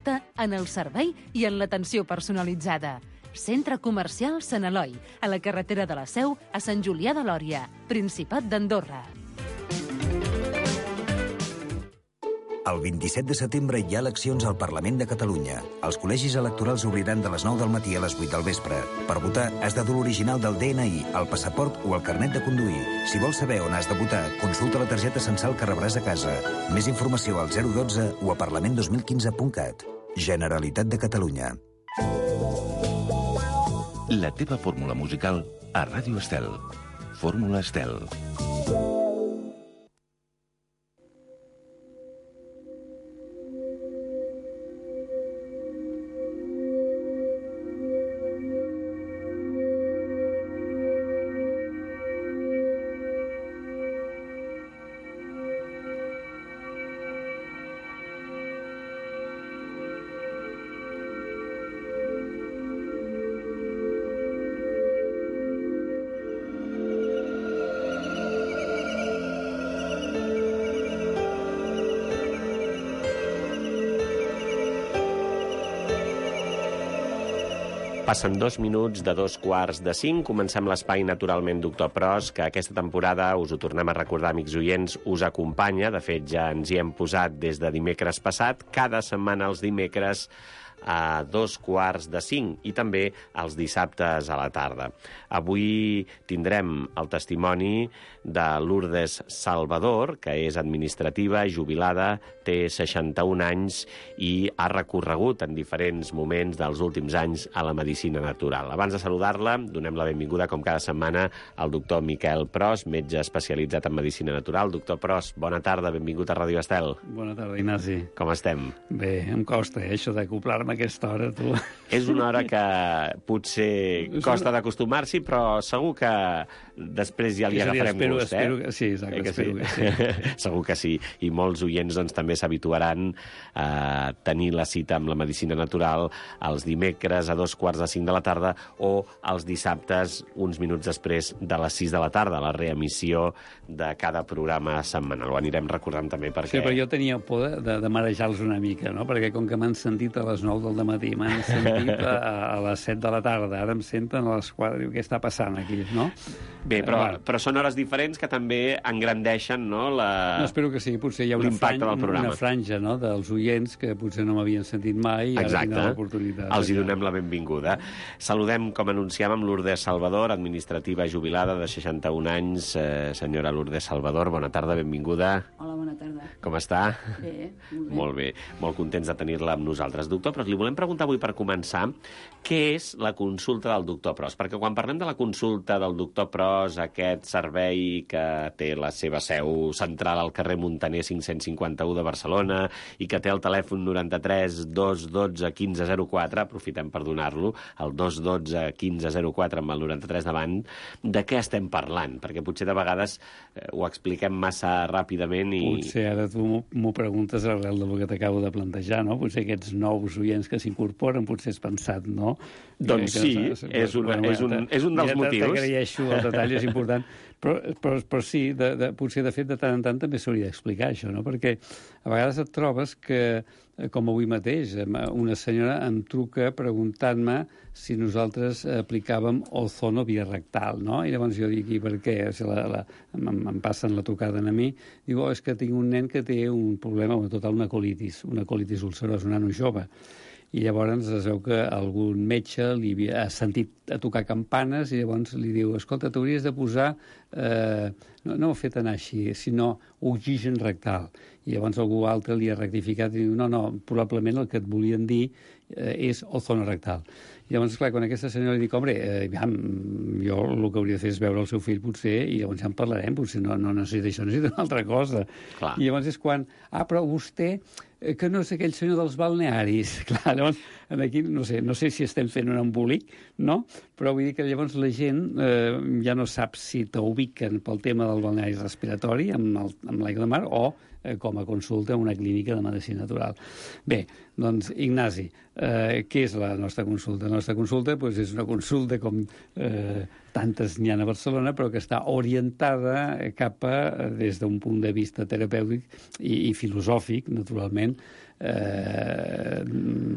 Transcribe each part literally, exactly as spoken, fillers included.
en el servei i en l'atenció personalitzada. Centre Comercial Sant Eloi, a la carretera de la Seu, a Sant Julià de Lòria, Principat d'Andorra. El vint-i-set de setembre hi ha eleccions al Parlament de Catalunya. Els col·legis electorals obriran de les nou del matí a les vuit del vespre. Per votar, has de dur l'original del D N I, el passaport o el carnet de conduir. Si vols saber on has de votar, consulta la targeta censal que rebràs a casa. Més informació al zero dotze o a parlament dos mil quinze punt cat. Generalitat de Catalunya. La teva fórmula musical a Ràdio Estel. Fórmula Estel. Passen dos minuts de dos quarts de cinc. Comencem l'espai Naturalment Doctor Pros, que aquesta temporada, us ho tornem a recordar, amics oients, us acompanya. De fet, ja ens hi hem posat des de dimecres passat. Cada setmana els dimecres a dos quarts de cinc i també els dissabtes a la tarda. Avui tindrem el testimoni de Lourdes Salvador, que és administrativa, jubilada, té seixanta-un anys i ha recorregut en diferents moments dels últims anys a la medicina natural. Abans de saludar-la, donem la benvinguda, com cada setmana, al doctor Miquel Pros, metge especialitzat en medicina natural. Doctor Pros, bona tarda, benvingut a Ràdio Estel. Bona tarda, Ignasi. Com estem? Bé, em costa, eh, això d'acoplar-me a aquesta hora, tu. És una hora que potser costa d'acostumar-s'hi, però segur que després ja li És a dir, agafarem espero, gust, eh? espero que, sí, exacte, eh que espero sí? que sí. Segur que sí. I molts oients doncs, també s'habituaran a tenir la cita amb la medicina natural els dimecres a dos quarts de cinc de la tarda o els dissabtes uns minuts després de les sis de la tarda, la reemissió de cada programa setmanal. Ho anirem recordant també perquè... Sí, però jo tenia por de, de, de marejar-los una mica, no? Perquè com que m'han sentit a les nou del matí, m'han sentit a, a les set de la tarda, ara em senten a les quatre, diu, què està passant aquí, no? Bé, però, eh, però són hores diferents que també engrandeixen, no? La... No, espero que sí, potser hi ha una franja, una franja, no?, dels oients que potser no m'havien sentit mai i Exacte. Ara tindran l'oportunitat. Els hi donem la benvinguda. Saludem, com anunciàvem, Lourdes Salvador, administrativa jubilada de seixanta-un anys. Eh, senyora Lourdes Salvador, bona tarda, benvinguda. Hola, bona tarda. Com està? Bé, molt bé. Molt bé, molt contents de tenir-la amb nosaltres. Doctor Pros, li volem preguntar avui per començar què és la consulta del doctor Pros, perquè quan parlem de la consulta del doctor Pros, aquest servei que té la seva seu central al carrer Muntaner cinc-cents cinquanta-u de Barcelona i que té el telèfon noranta-tres dos dotze quinze zero quatre, aprofitem per donar-lo, el dos dotze quinze zero quatre amb el noranta-tres davant, de què estem parlant? Perquè potser de vegades eh, ho expliquem massa ràpidament i... Potser ara tu m'ho preguntes arrel del que t'acabo de plantejar, no? Potser aquests nous oients que s'incorporen, potser has pensat, no? Doncs sí, és un, bueno, és un, és un dels motius. T'agraeixo, el detall és important. Però, però, però sí, de, de, potser de fet de tant en tant també s'hauria d'explicar això, no? Perquè a vegades et trobes que, com avui mateix, una senyora em truca preguntant-me si nosaltres aplicàvem ozono birectal, no? I llavors jo dic, i per què? O sigui, la, la, em, em passen la trucada a mi, diu, oh, és que tinc un nen que té un problema, bueno, total, una colitis, una colitis ulcerosa, un nano jove. I llavors es veu que algun metge li havia, ha sentit a tocar campanes i llavors li diu, escolta, t'hauries de posar, eh, no, no ho ha fet anar així, sinó oxigen rectal. I llavors algú altre li ha rectificat i diu, no, no, probablement el que et volien dir eh, és ozono rectal. I llavors, clar, quan aquesta senyora li dic, home, eh, ja, jo el que hauria de fer és veure el seu fill, potser, i llavors ja en parlarem, potser no, no necessita això, necessita una altra cosa. Clar. I llavors és quan, ah, però vostè, eh, que no és aquell senyor dels balnearis. Clar, llavors, aquí, no sé, no sé si estem fent un embolic, no? Però vull dir que llavors la gent eh, ja no sap si t'ubiquen pel tema del balneari respiratori amb l'aigua de mar o eh, com a consulta a una clínica de medicina natural. Bé, doncs, Ignasi, eh, què és la nostra consulta? La nostra consulta doncs, és una consulta com eh, tantes n'hi ha a Barcelona, però que està orientada cap a, des d'un punt de vista terapèutic i, i filosòfic, naturalment, Eh,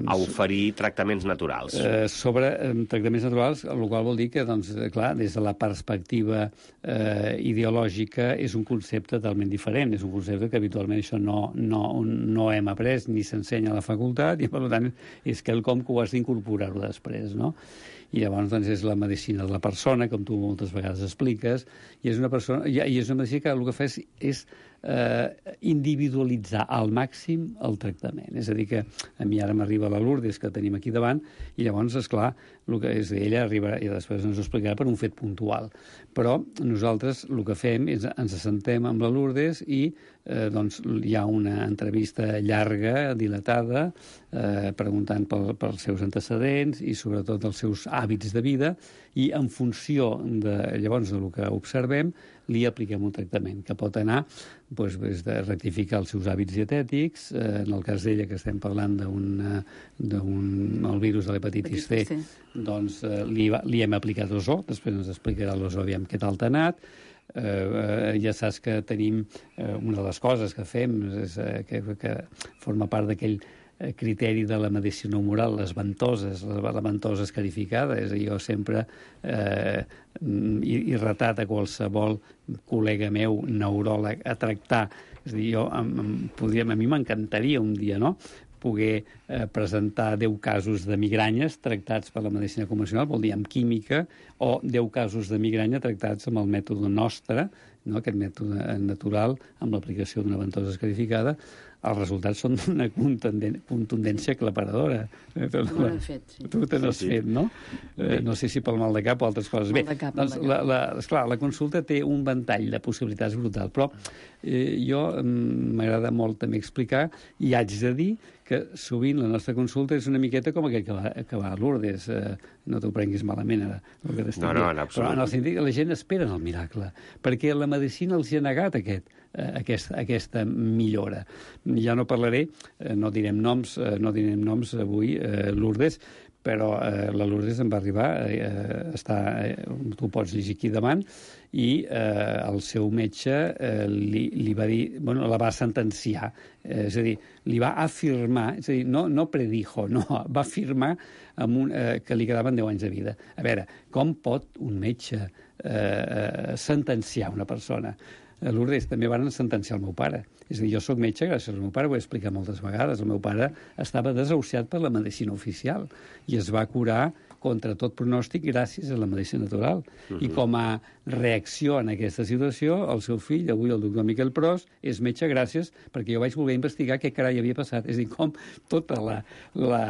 a oferir tractaments naturals. Eh, sobre eh, tractaments naturals, el qual vol dir que, doncs, clar, des de la perspectiva eh, ideològica és un concepte totalment diferent, és un concepte que habitualment això no, no, no hem après ni s'ensenya a la facultat i, per tant, és quelcom que ho has d'incorporar-ho després, no? I llavors doncs, és la medicina de la persona, com tu moltes vegades expliques, i és una, persona, i és una medicina que el que fa és, és eh, individualitzar al màxim el tractament. És a dir, que a mi ara m'arriba la Lourdes, que tenim aquí davant, i llavors, esclar, el que és ella arriba, i després ens ho explicarà per un fet puntual. Però nosaltres el que fem és ens assentem amb la Lourdes i eh, doncs, hi ha una entrevista llarga, dilatada, eh, preguntant pel, pels seus antecedents i sobretot els seus hàbits de vida, i en funció de, llavors del que observem li apliquem un tractament que pot anar doncs, des de rectificar els seus hàbits dietètics, eh, en el cas d'ella que estem parlant d'un el virus de l'hepatitis C, doncs eh, li, li hem aplicat l'ozó, després ens explicarà l'ozó aviam què tal t'ha anat. Eh, eh, ja saps que tenim eh, una de les coses que fem és, eh, que, que forma part d'aquell criteri de la medicina humoral, les ventoses, la, la ventosa escarificada. És a dir, jo sempre eh, he, he retat a qualsevol col·lega meu, neuròleg, a tractar. És a dir, jo, em, em, podríem, a mi m'encantaria un dia, no?, poder eh, presentar deu casos de migranyes tractats per la medicina convencional, vol dir amb química, o deu casos de migranya tractats amb el mètode nostre, no?, aquest mètode natural, amb l'aplicació d'una ventosa escarificada. Els resultats són d'una contundència aclaparadora. Tu ho has fet, sí. Tu te n'has sí, sí. fet, no? Eh, no sé si pel mal de cap o altres coses. Mal Bé, de cap, doncs, mal de la, la, esclar, la consulta té un ventall de possibilitats brutal, però eh, jo m'agrada molt també explicar, i haig de dir que sovint la nostra consulta és una miqueta com aquell que va, que va a Lourdes. Eh, no t'ho prenguis malament, ara, el que t'estic No, no, dient. en absolut. Però en el sentit que la gent espera el miracle, perquè la medicina els hi ha negat aquest, eh, aquesta, aquesta millora. Ja no parlaré, eh, no direm noms, eh, no direm noms avui, eh, Lourdes, però eh, la Lourdes em va arribar, eh, està, eh, tu pots llegir aquí davant, i eh, el seu metge eh, li, li va dir, bueno, la va sentenciar, eh, és a dir, li va afirmar, és a dir, no, no predijo, no, va afirmar amb un, eh, que li quedaven deu anys de vida. A veure, com pot un metge eh, sentenciar una persona? A Lourdes també van sentenciar el meu pare. És a dir, jo soc metge gràcies al meu pare, ho he explicat moltes vegades. El meu pare estava desahuciat per la medicina oficial i es va curar contra tot pronòstic gràcies a la medicina natural. Uh-huh. I com a reacció en aquesta situació, el seu fill, avui el doctor Miquel Pros, és metge gràcies perquè jo vaig voler investigar què carai havia passat. És a dir, com tota la, la,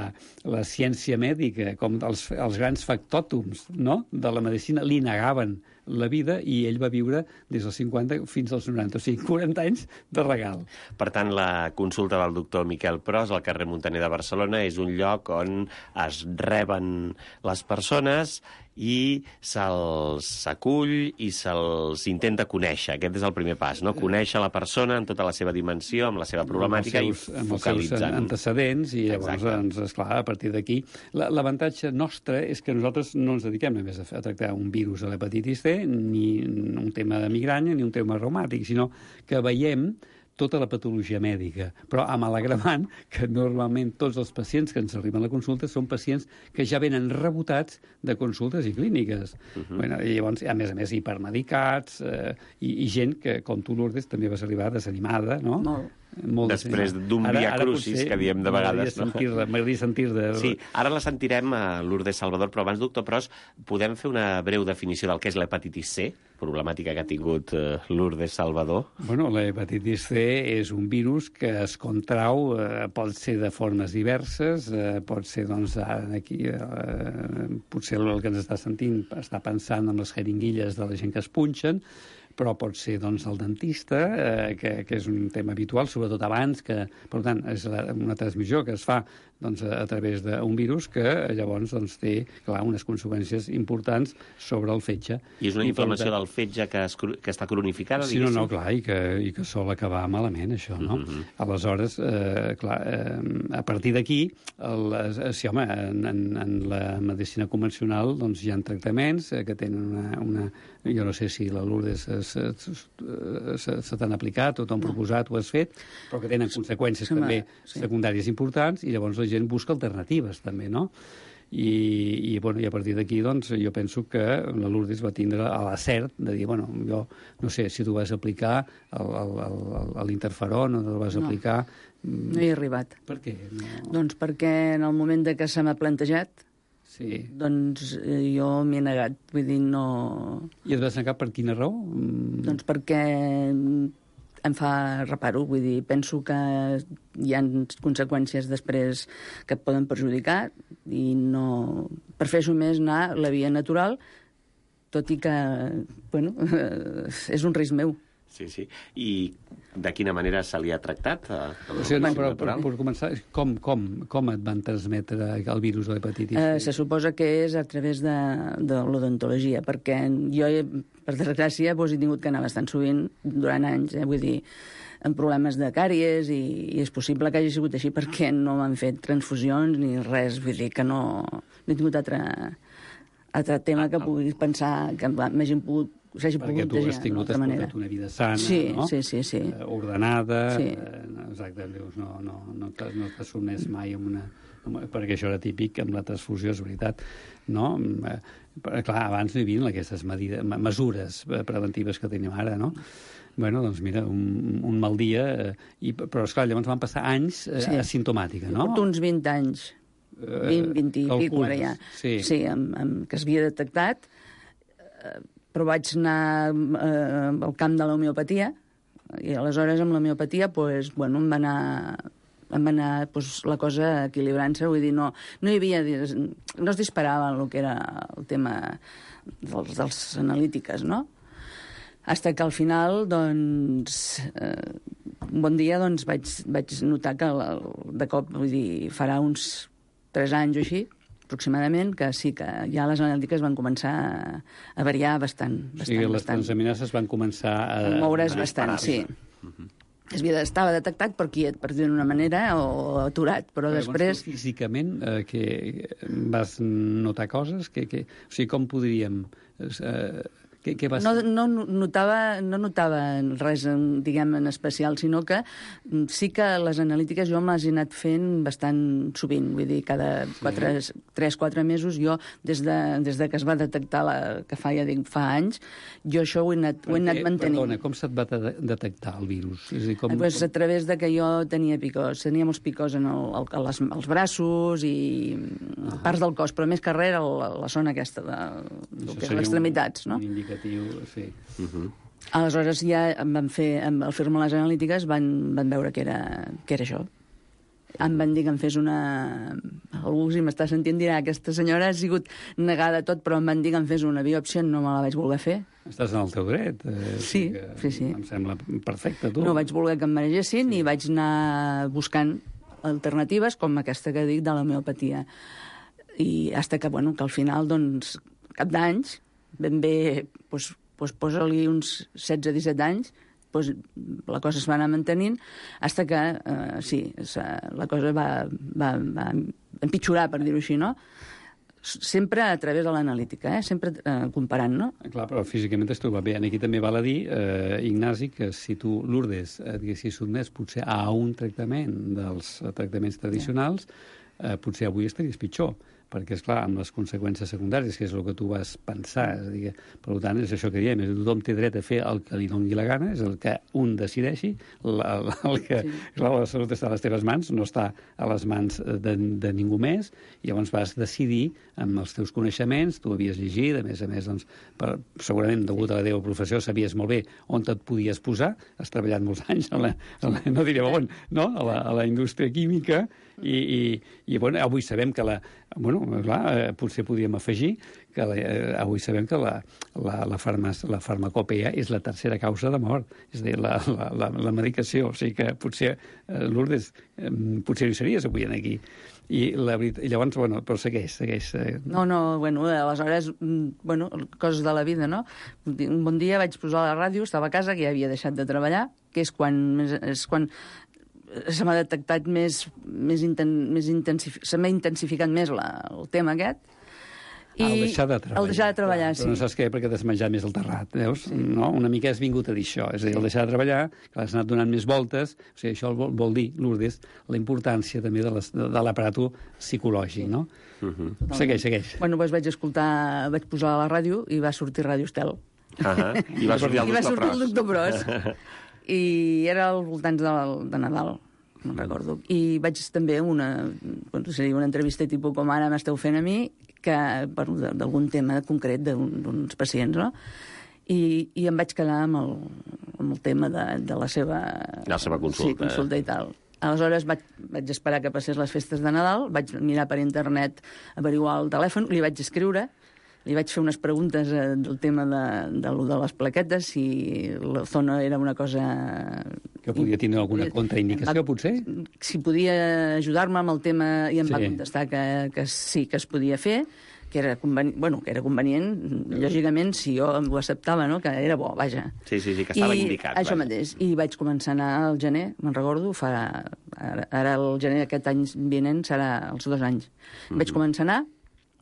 la ciència mèdica, com els, els grans factòtums, no?, de la medicina li negaven la vida, i ell va viure des dels cinquanta fins als noranta, o sigui, quaranta anys de regal. Per tant, la consulta del doctor Miquel Pros al carrer Muntaner de Barcelona és un lloc on es reben les persones i se'ls acull i se'ls intenta conèixer. Aquest és el primer pas, no? Conèixer la persona en tota la seva dimensió, amb la seva problemàtica, amb els seus, i focalitzant. Amb els seus antecedents, i llavors, Exacte. doncs, esclar, a partir d'aquí... L'avantatge nostre és que nosaltres no ens dediquem només a, a tractar un virus a l'hepatitis C, ni un tema de migranya, ni un tema reumàtic, sinó que veiem tota la patologia mèdica, però amb l'agravant que normalment tots els pacients que ens arriben a la consulta són pacients que ja venen rebotats de consultes i clíniques. Uh-huh. Bueno, i llavors, a més a més, hipermedicats, eh, i, i gent que, com tu, Lourdes, també vas arribar desanimada, no? Molt. Molt després d'un via crucis, que diem de vegades. No? M'agradaria sentir-ne. Sí, ara la sentirem a Lourdes Salvador, però abans, doctor Pros, podem fer una breu definició del que és l'hepatitis C, problemàtica que ha tingut uh, Lourdes Salvador? Bueno, l'hepatitis C és un virus que es contrau, eh, pot ser de formes diverses, eh, pot ser, doncs, aquí, eh, potser el que ens està sentint està pensant en les jeringuilles de la gent que es punxen, però pot ser doncs, el dentista, eh, que, que és un tema habitual, sobretot abans, que, per tant, és la, una transmissió que es fa doncs, a, a través d'un virus que llavors doncs, té, clar, unes conseqüències importants sobre el fetge. I és una I, inflamació tant, del fetge que, es, que està cronificada, sí, diguéssim? no, no, clar, i que, i que sol acabar malament, això, no? Mm-hmm. Aleshores, eh, clar, eh, a partir d'aquí, sí, home, en, en, en la medicina convencional doncs, hi ha tractaments eh, que tenen una, una... Jo no sé si la Lourdes se, se, se, se t'han aplicat o t'han proposat o has fet, però que tenen conseqüències sí, també sí. secundàries importants, i llavors la gent busca alternatives, també, no? I, i, bueno, i a partir d'aquí, doncs, jo penso que la Lourdes va tindre l'acert de dir, bueno, jo no sé si tu vas aplicar l'interferon o no el vas no. aplicar... No hi he arribat. Per què? No... Doncs perquè en el moment de que se m'ha plantejat, sí. doncs eh, jo m'hi he negat. Vull dir, no... I et vas negar per quina raó? Doncs perquè em fa reparo, vull dir, penso que hi ha conseqüències després que et poden perjudicar i no... Prefereixo més anar la via natural, tot i que, bueno, és un risc meu. Sí, sí. I de quina manera se li ha tractat? A, a o sigui, no, però, per, per començar, com, com, com et van transmetre el virus de l'hepatitis? Eh, se suposa que és a través de, de l'odontologia, perquè jo, per desgràcia, doncs, he tingut que anar bastant sovint durant anys, eh, vull dir, amb problemes de càries, i, i és possible que hagi sigut així perquè no m'han fet transfusions ni res, vull dir que no, no he tingut altre, altre tema que puguis pensar que m'hagin pogut s'hagi perquè pogut tu has tingut has portat una vida sana, sí, no? Sí, sí, sí. Eh, ordenada, sí. eh, exacte, dius, no, no, no t'has no sotmès mai amb una... perquè això era típic amb la transfusió, és veritat, no? Eh, però, clar, abans no hi havia aquestes medides, mesures preventives que tenim ara, no? Bueno, doncs mira, un, un mal dia, eh, i, però esclar, llavors van passar anys eh, sí. asimptomàtica, no? Porto uns vint anys, vint, vint i pico, ara ja, sí, sí amb, amb, que s'havia detectat, eh, però vaig anar eh, al camp de l'homeopatia, i aleshores amb l'homeopatia pues, bueno, em va anar, em va anar pues, la cosa equilibrant-se, vull dir, no, no hi havia... no es disparava el que era el tema dels, dels analítiques, no? Hasta que al final, doncs, eh, un bon dia doncs, vaig, vaig notar que de cop, vull dir, farà uns tres anys o així, aproximadament, que sí que ja les analítiques van començar a variar bastant. bastant o sigui, les bastant. transaminases van començar a... a moure's a bastant, sí. Uh-huh. Estava detectat per quiet, per dir d'una manera, o aturat, però, però després... Llavors, físicament, eh, que vas notar coses? Que, que... O sigui, com podríem... Eh, Què, què vas... no, no, notava, no notava res, diguem, en especial, sinó que sí que les analítiques jo me les he anat fent bastant sovint, vull dir, cada sí. tres quatre mesos, jo, des de, des de que es va detectar, la, que fa, ja dic, fa anys, jo això ho he anat, ho he anat mantenint. Perdona, com se't va de detectar el virus? És a dir, com, eh, pues, a través de que jo tenia picors, tenia molts picors en el, el, les, els braços i ah. parts del cos, però més que res la, la zona aquesta, de, de que és l'extremitats, no? Un sí. Uh-huh. Aleshores ja em van fer, al fer-me les analítiques van, van veure que era, que era això. Em van dir que em fes una... Algú, si m'està sentint, dirà aquesta senyora ha sigut negada tot, però em van dir que em fes una biòpsia, no me la vaig voler fer. Estàs en el teu dret. Eh, sí, sí, sí. Em sembla perfecte, tu. No vaig voler que em maregessin sí. i vaig anar buscant alternatives com aquesta que dic de l'homeopatia. I hasta que, bueno, que al final, doncs, cap d'anys, ben bé, doncs, doncs posa-li uns setze disset anys, doncs la cosa es va anar mantenint, fins que, eh, sí, la cosa va, va, va empitjorar, per dir-ho així, no? Sempre a través de l'analítica, eh? Sempre eh, comparant, no? Clar, però físicament es troba bé. Aquí també val a dir, eh, Ignasi, que si tu, Lourdes, et haguessis sotmès potser a un tractament dels tractaments tradicionals, eh, potser avui estaries pitjor, perquè, esclar, amb les conseqüències secundàries, que és el que tu vas pensar, és a dir, per tant, és això que diem, és tothom té dret a fer el que li doni la gana, és el que un decideixi, la, la, el que, sí. clar, la salut està a les teves mans, no està a les mans de, de ningú més, i llavors vas decidir, amb els teus coneixements, tu havies llegit, a més a més, doncs, per, segurament, degut a la teva professió, sabies molt bé on et podies posar, has treballat molts anys, a la, a la, no diré on, no? A, la, a la indústria química, i, i, i bueno, avui sabem que la, bueno, clar, eh, potser podríem afegir que eh, avui sabem que la, la, la, farma, la farmacopea és la tercera causa de mort, és a dir, la, la, la, la medicació, o sigui que potser, eh, Lourdes, eh, potser no hi series avui aquí. I, la veritat, i llavors, bueno, però segueix, segueix. Eh. No, no, bueno, aleshores, bueno, coses de la vida, no? Un bon dia vaig posar la ràdio, estava a casa, que ja havia deixat de treballar, que és quan, és quan se m'ha detectat més, més, inten, més intensific, se m'ha intensificat més la, el tema aquest. I el deixar de treballar. El deixar de treballar, clar, sí. Però no saps què, perquè t'has menjat més el terrat, veus? Sí. No? Una mica has vingut a dir això. És a dir, el deixar de treballar, que l'has anat donant més voltes, o sigui, això vol, vol dir, Lourdes, la importància també de, les, de l'aparato psicològic, no? Uh-huh. Segueix, segueix. Bueno, doncs vaig escoltar, vaig posar a la ràdio i va sortir Ràdio Estel. Uh-huh. I va sortir el I va doctor sortir el Pros. doctor Pros. I era al voltant de, de Nadal, no recordo. I vaig també una, bueno, seria una entrevista tipus com ara m'esteu fent a mi, que bueno, d'algun tema concret d'uns pacients, no? I, i em vaig quedar amb el, amb el tema de, de la seva... La seva consulta. Sí, consulta i tal. Aleshores vaig, vaig esperar que passés les festes de Nadal, vaig mirar per internet, averiguar el telèfon, li vaig escriure, li vaig fer unes preguntes eh, del tema de, de, de les plaquetes, si la zona era una cosa... Que podia tenir alguna contraindicació, va, potser? Si podia ajudar-me amb el tema, i em Sí. va contestar que, que sí, que es podia fer, que era, conveni... bueno, que era convenient, lògicament, si jo ho acceptava, no? Que era bo, vaja. Sí, sí, sí, que estava I indicat. això vaja. mateix. I vaig començar a anar al gener, me'n recordo, fa... Ara, ara el gener aquest any vinent serà els dos anys. Mm-hmm. Vaig començar a anar,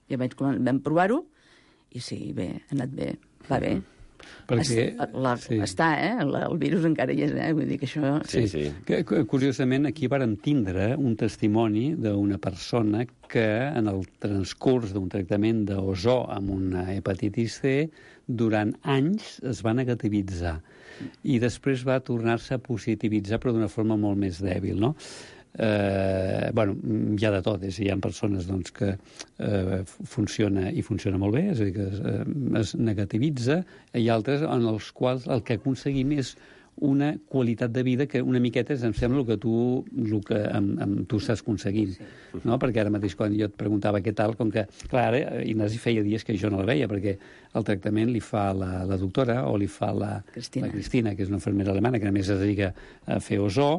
i vaig, vam provar-ho, i sí, bé, ha anat bé, va bé. Perquè, es, la, sí. Està, eh? La, el virus encara hi és, eh? Vull dir que això... Sí, sí. Que, curiosament, aquí vàrem tindre un testimoni d'una persona que en el transcurs d'un tractament d'ozó amb una hepatitis C durant anys es va negativitzar i després va tornar-se a positivitzar però d'una forma molt més dèbil, no? Eh, bueno, hi ha de tot, és, hi ha persones doncs, que eh, funciona i funciona molt bé, és a dir, que es, eh, es negativitza, i altres en els quals el que aconseguim és una qualitat de vida que una miqueta em sembla el que tu, el que amb, amb tu estàs aconseguint, sí. No? Perquè ara mateix quan jo et preguntava què tal, com que, clar, ara Ignasi feia dies que jo no la veia, perquè el tractament li fa la, la doctora o li fa la Cristina. la Cristina, que és una infermera alemana, que a més es dedica a fer ozó,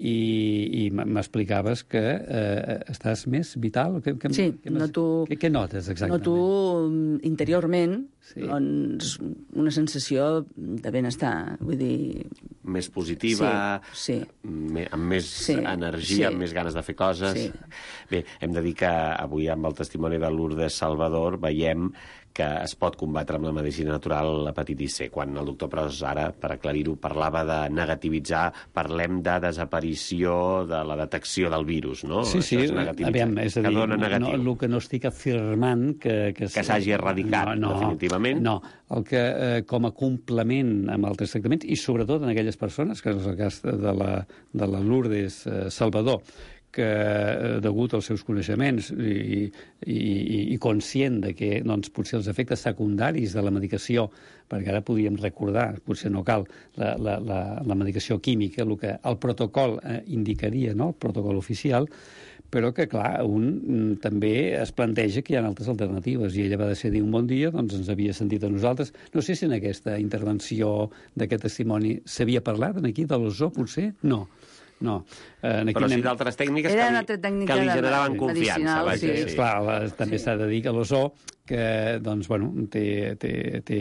i, i m'explicaves que eh, estàs més vital? Que, que, Sí, que, noto... Què, què notes exactament? Noto interiorment Sí. doncs, una sensació de benestar, vull dir... Més positiva, Sí, sí. me, amb més Sí, energia, sí. amb més ganes de fer coses. Sí. Bé, hem de dir que avui amb el testimoni de Lourdes Salvador veiem que es pot combatre amb la medicina natural l'hepatitis C. Quan el doctor Pros, ara, per aclarir-ho, parlava de negativitzar, parlem de desaparició de la detecció del virus, no? Sí, sí, Això és negativitzar, aviam, és a dir, que dona negatiu. no, el que no estic afirmant que... Que, Que s'hagi erradicat, no, no, definitivament. No, el que eh, com a complement amb altres tractaments, i sobretot en aquelles persones, que és el cas de la, de la Lourdes eh, Salvador, que, eh, degut als seus coneixements i, i, i conscient de que doncs, potser els efectes secundaris de la medicació, perquè ara podíem recordar, potser no cal, la, la, la, la medicació química, el que el protocol eh, indicaria, no? El protocol oficial, però que, clar, un mm, també es planteja que hi ha altres alternatives, i ella va decidir un bon dia, doncs ens havia sentit a nosaltres. No sé si en aquesta intervenció d'aquest testimoni s'havia parlat, aquí, de l'ozó, potser? No. No. Eh, aquí Però sí anem... d'altres tècniques Era que una li, altra tècnica que li de- generaven de- confiança. medicinal, Vaja, sí. sí. Esclar, la, també Sí. s'ha de dir que l'ozó, que doncs, bueno, té, té, té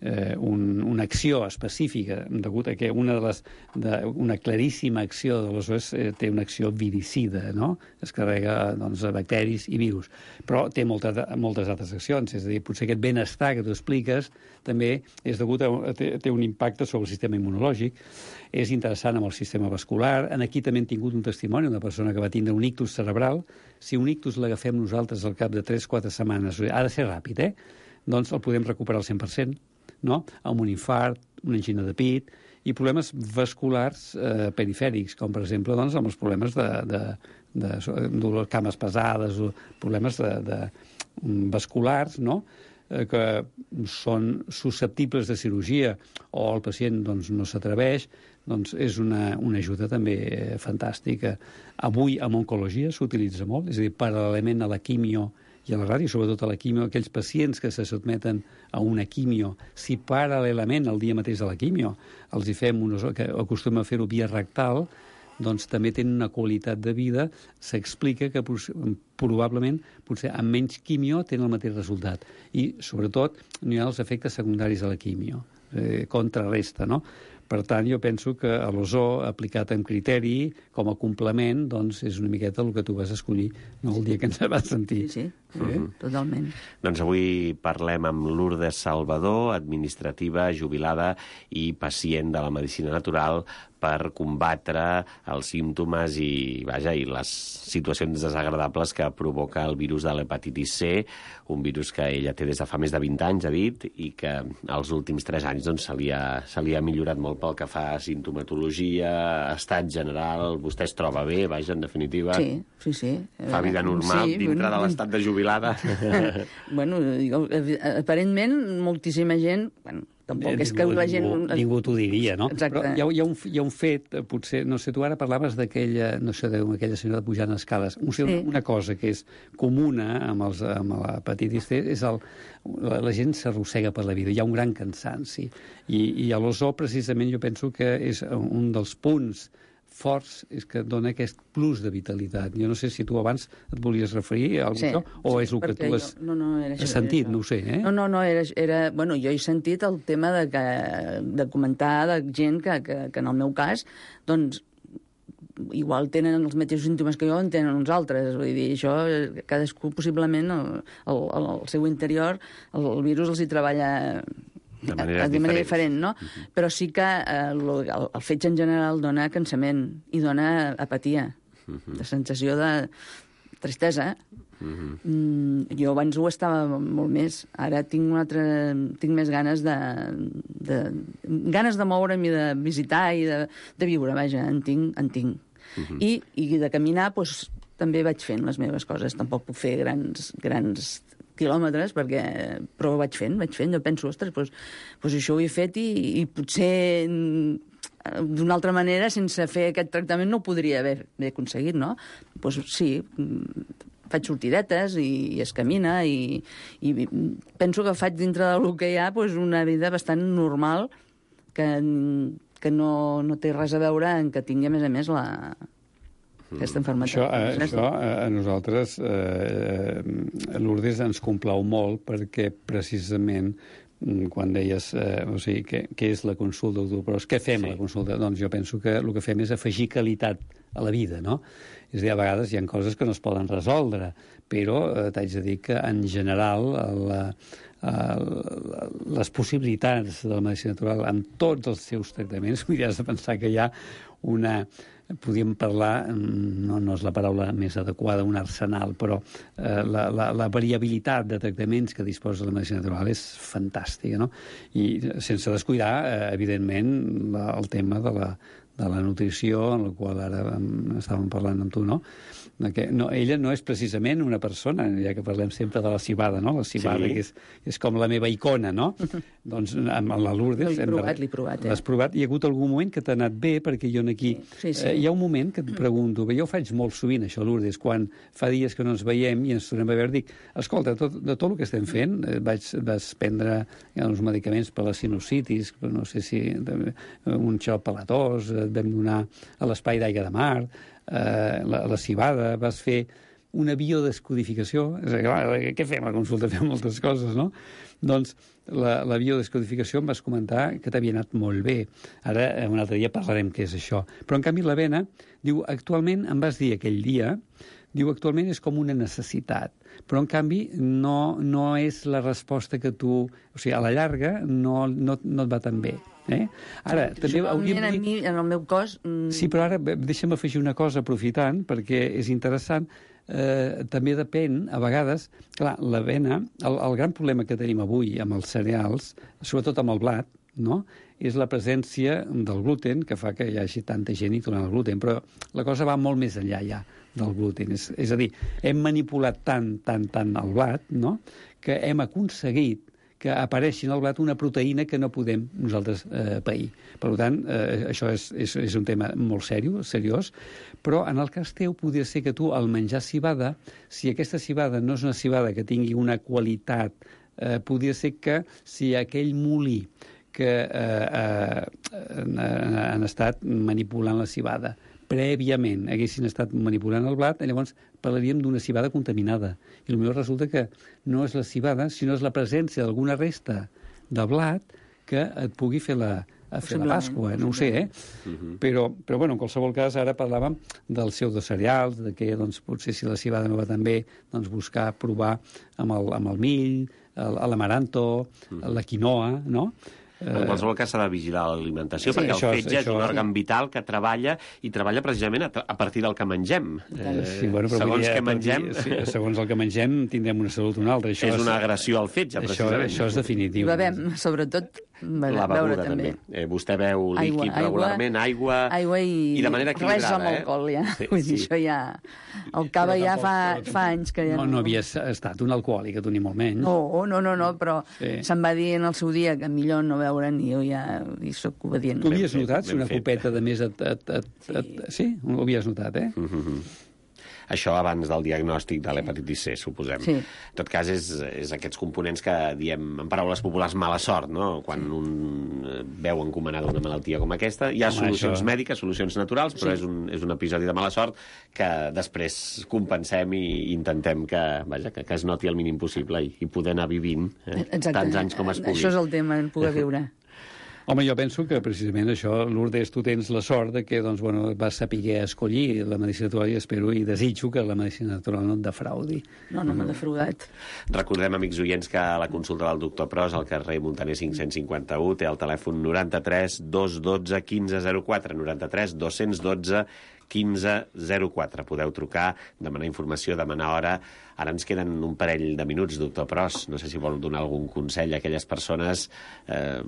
eh, un, una acció específica, degut a que una, de les, de, una claríssima acció de l'ozó és, eh, té una acció viricida, no? Es carrega doncs, bacteris i virus. Però té molta, moltes altres accions, és a dir, potser aquest benestar que tu expliques també és degut a, té, té un impacte sobre el sistema immunològic, és interessant amb el sistema vascular. En aquí també hem tingut un testimoni, una persona que va tindre un ictus cerebral. Si un ictus l'agafem nosaltres al cap de tres quatre setmanes, ha de ser ràpid, eh? Doncs el podem recuperar al cent per cent, no? Amb un infart, una angina de pit i problemes vasculars eh, perifèrics, com per exemple doncs, amb els problemes de, de, de, de, de cames pesades o problemes de, de, vasculars, no? eh, que són susceptibles de cirurgia o el pacient doncs, no s'atreveix, doncs és una, una ajuda també eh, fantàstica. Avui, en oncologia, s'utilitza molt, és a dir, paral·lelament a la quimio i a la ràdio, sobretot a la quimio, aquells pacients que se sotmeten a una quimio, si paral·lelament el dia mateix de la quimio els hi fem unes, que acostumem a fer-ho via rectal, doncs també tenen una qualitat de vida, s'explica que probablement potser amb menys quimio tenen el mateix resultat. I, sobretot, no hi ha els efectes secundaris de la quimio, eh, contrarresta, no? Per tant, jo penso que a l'ozó, aplicat amb criteri, com a complement, doncs és una miqueta el que tu vas escollir, no el dia que ens vas sentir. Sí, sí, sí, totalment. Doncs avui parlem amb Lourdes Salvador, administrativa, jubilada i pacient de la medicina natural, per combatre els símptomes i, vaja, i les situacions desagradables que provoca el virus de l'hepatitis C, un virus que ella té des de fa més de vint anys, ha dit, i que els últims tres anys doncs, se, li ha, se li ha millorat molt pel que fa a sintomatologia, estat general. Vostè es troba bé, vaja, en definitiva? Sí, sí, sí. Fa vida normal sí, dintre bueno, de l'estat de jubilada? Bueno, aparentment, moltíssima gent... Bueno, tampoc és que la gent... Ningú, ningú t'ho diria, no? Exacte. Però hi ha, hi, ha un, hi ha un fet, potser, no sé, tu ara parlaves d'aquella, no sé, d'aquella senyora pujant escales. Un, sí. Una cosa que és comuna amb, els, amb l'hepatitis C és el, la, la gent s'arrossega per la vida, hi ha un gran cansanci. I, i a l'ozó, precisament, jo penso que és un dels punts forts és que dona aquest plus de vitalitat. Jo no sé si tu abans et volies referir a alguna sí, cosa, o sí, és el que tu has, jo, no, no, era això, has sentit, era no ho sé, eh? No, no, no, era, era... Bueno, jo he sentit el tema de, que, de comentar de gent que, que, que en el meu cas, doncs, igual tenen els mateixos símptomes que jo, en tenen uns altres. Vull dir, això, cadascú, possiblement, el, el, el seu interior, el, el virus els hi treballa... De manera, de manera diferent, no? Uh -huh. Però sí que eh, el, el fetge en general dona cansament i dona apatia, uh -huh. de sensació de tristesa. Uh -huh. mm, jo abans ho estava molt més. Ara tinc un altre... tinc més ganes de... de ganes de moure'm i de visitar i de, de viure, vaja, en tinc. En tinc. Uh -huh. I, I de caminar, doncs, també vaig fent les meves coses. Tampoc puc fer grans... grans quilòmetres, perquè, però ho vaig fent, vaig fent. Jo penso, ostres, doncs, doncs això ho he fet i, i potser d'una altra manera, sense fer aquest tractament, no ho podria haver, haver aconseguit, no? Doncs sí, faig sortidetes i, i es camina i, i penso que faig dintre del que hi ha doncs, una vida bastant normal que, que no, no té res a veure en que tingui, a més a més, la... aquesta malaltia. Això, a, això a, a nosaltres, eh, Lourdes, ens complau molt perquè precisament quan deies, eh, o sigui, què, què és la consulta, però què fem sí. a la consulta? Doncs jo penso que el que fem és afegir qualitat a la vida, no? És a dir, a vegades hi ha coses que no es poden resoldre, però eh, t'haig de dir que en general la, la, les possibilitats de la medicina natural amb tots els seus tractaments, vull dir, has de pensar que hi ha una... podríem parlar, no, no és la paraula més adequada, un arsenal, però eh, la, la, la variabilitat de tractaments que disposa la medicina natural és fantàstica, no? I sense descuidar, eh, evidentment, la, el tema de la, de la nutrició, en la qual ara estàvem parlant amb tu, no? Que no, ella no és precisament una persona, ja que parlem sempre de la cibada, no? La cibada, sí. que és, és com la meva icona, no? Doncs amb la Lourdes... L'he provat, l'he provat, eh? L'has provat? Hi ha hagut algun moment que t'ha anat bé, perquè jo aquí... Sí, sí. Eh, hi ha un moment que et pregunto, bé, jo ho faig molt sovint, això, Lourdes, quan fa dies que no ens veiem i ens tornem a veure, dic, escolta, tot, de tot el que estem fent, eh, vaig, vas prendre ja, uns medicaments per la sinusitis, no sé si un xop per la tos, et vam donar a l'espai d'aigua de mar, eh, la, la cibada, vas fer una biodescodificació, és a dir, clar, què fem a la consulta? Fem moltes coses, no? Doncs la, la biodescodificació em vas comentar que t'havia anat molt bé. Ara, un altre dia parlarem què és això. Però, en canvi, l'avena, diu, actualment, em vas dir aquell dia, diu, actualment és com una necessitat, però, en canvi, no, no és la resposta que tu... O sigui, a la llarga no, no, no et va tan bé. Eh? Ara, sí, també hauríem de dir... mi, en el meu cos... Mm... Sí, però ara deixa'm afegir una cosa aprofitant, perquè és interessant. Eh, també depèn, a vegades, clar, l'avena, el, el gran problema que tenim avui amb els cereals, sobretot amb el blat, no?, és la presència del gluten, que fa que hi hagi tanta gent intolerant al gluten, però la cosa va molt més enllà ja del gluten. És, és a dir, hem manipulat tant, tant, tant el blat, no?, que hem aconseguit que apareixi en el blat una proteïna que no podem nosaltres eh, pair. Per tant, eh, això és, és, és un tema molt seriós, seriós, però en el cas teu podria ser que tu, al menjar civada, si aquesta civada no és una civada que tingui una qualitat, eh, podria ser que si aquell molí que eh, eh, han estat manipulant la civada prèviament haguessin estat manipulant el blat, llavors parlaríem d'una civada contaminada. I potser resulta que no és la civada, sinó és la presència d'alguna resta de blat que et pugui fer la, a fer la Pasqua. No ho sé, eh? Uh-huh. Però, però bueno, en qualsevol cas, ara parlàvem dels pseudocereals, de que doncs, potser si la civada no va tan bé, doncs buscar provar amb el, amb el mill, l'amaranto, uh-huh. la quinoa, no? En qualsevol cas s'ha de vigilar l'alimentació, sí, perquè el fetge és, és un òrgan vital que treballa i treballa precisament a, a partir del que mengem. Eh, sí, bueno, però segons dia, què mengem... Sí, segons el que mengem tindrem una salut o una altra. Això és, és una agressió al fetge, això, precisament. Això és definitiu. I bevem, sobretot, la beguda, també. també. Eh, vostè beu líquid aigua, regularment, aigua... Aigua i, i de manera equilibrada. Res amb alcohol, ja. Sí, Vull dir, sí. això ja... El cava ja fa, fa anys que ja no... No, no havies estat un alcohòlic, tu ni molt menys. No, no, no, no, però sí. se'm va dir en el seu dia que millor no beure ni jo ja hi soc obedient. Tu havies ben notat fet, si una fet. copeta de més... Et, et, et, et, sí. sí, ho havies notat, eh? Mm-hmm. Això abans del diagnòstic de l'hepatitis C, suposem. Sí. En tot cas, és, és aquests components que diem, en paraules populars, mala sort, no? Quan un veu encomanada una malaltia com aquesta, hi ha Home, solucions això... mèdiques, solucions naturals, però sí. és, un, és un episodi de mala sort que després compensem i intentem que, vaja, que, que es noti el mínim possible i, i poder anar vivint eh, tants anys com es pugui. Això és el tema, en poder viure. Home, jo penso que precisament això, Lourdes, tu tens la sort de que doncs, bueno, vas saber escollir la medicina natural i espero i desitjo que la medicina natural no et defraudi. No, no m'ha defraudat. Recordem, amics oients, que la consulta del doctor Pros al carrer Muntaner cinc-cents cinquanta-u té el telèfon noranta-tres dos dotze quinze zero quatre, noranta-tres dos dotze quinze zero quatre. Podeu trucar, demanar informació, demanar hora. Ara ens queden un parell de minuts, doctor Pros. No sé si vol donar algun consell a aquelles persones eh,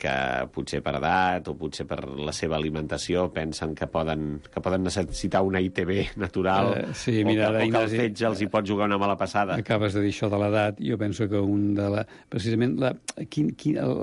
que potser per edat o potser per la seva alimentació pensen que poden, que poden necessitar una I T B natural uh, sí, mira, o, que, o que el Ignasi, fetge els hi pot jugar una mala passada. Acabes de dir això de l'edat. Jo penso que un de la... Precisament, la, quin, quin, el,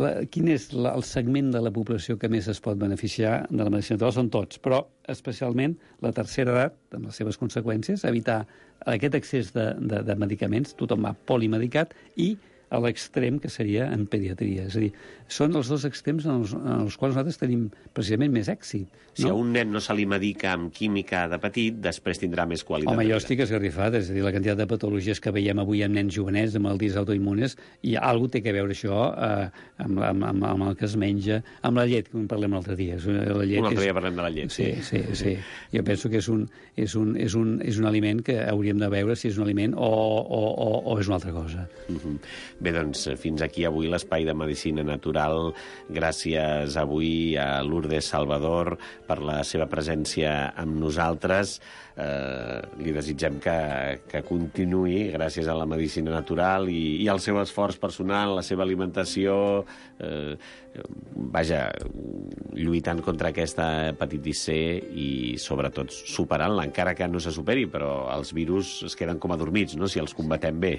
la, quin és la, el segment de la població que més es pot beneficiar de la medicina natural? Són tots, però especialment la tercera edat, amb les seves conseqüències, evitar aquest excés de, de, de medicaments, tothom va polimedicat, i a l'extrem que seria en pediatria. És a dir, són els dos extrems en els, en els quals nosaltres tenim precisament més èxit. No? Si a un nen no se li medica amb química de petit, després tindrà més qualitat. Home, jo estic esgarrifat, és a dir, la quantitat de patologies que veiem avui en nens jovenets, de malalties autoimmunes, i alguna té que veure això eh, amb, amb, amb, amb el que es menja, amb la llet, que en parlem l'altre dia. La llet un altre és... dia parlem de la llet, sí. Sí, sí, sí. Jo penso que és un, és, un, és, un, és un aliment que hauríem de veure si és un aliment o, o, o, o és una altra cosa. Uh-huh. Bé, doncs, fins aquí avui l'espai de medicina natural. Gràcies avui a Lourdes Salvador per la seva presència amb nosaltres. Eh, li desitgem que, que continuï gràcies a la medicina natural i, i al seu esforç personal, la seva alimentació, eh, vaja, lluitant contra aquesta hepatitis C i sobretot superant-la, encara que no se superi, però els virus es queden com adormits, no?, si els combatem bé.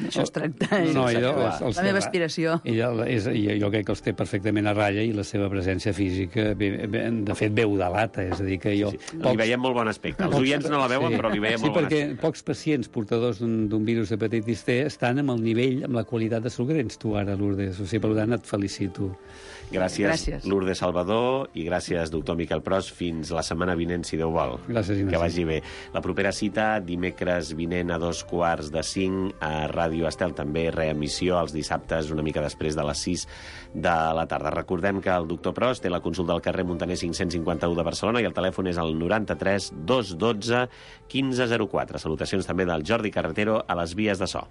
Això es tracta. No, és ella, la, els, els la meva aspiració. Ella, és, jo crec que els té perfectament a ratlla i la seva presència física, de fet, veu de lata, és a dir, que jo... Sí, sí. Pocs... Li veiem molt bon aspecte. Els oients no la veuen, sí, però li veiem sí, molt bon aspecte. Sí, aspecte. perquè pocs pacients portadors d'un virus d'hepatitis C estan amb el nivell, amb la qualitat de salut que tens tu ara, Lourdes. O sigui, per tant, et felicito. Gràcies, gràcies, Lourdes Salvador, i gràcies, doctor Miquel Pros. Fins la setmana vinent, si Déu vol. Gràcies, Ignasi. Que vagi bé. La propera cita, dimecres vinent a dos quarts de cinc a Ràdio Estel, també reemissió els dissabtes una mica després de les sis de la tarda. Recordem que el doctor Pros té la consulta al carrer Muntaner cinc-cents cinquanta-u de Barcelona i el telèfon és el noranta-tres dos dotze quinze zero quatre. Salutacions també del Jordi Carretero a les vies de so.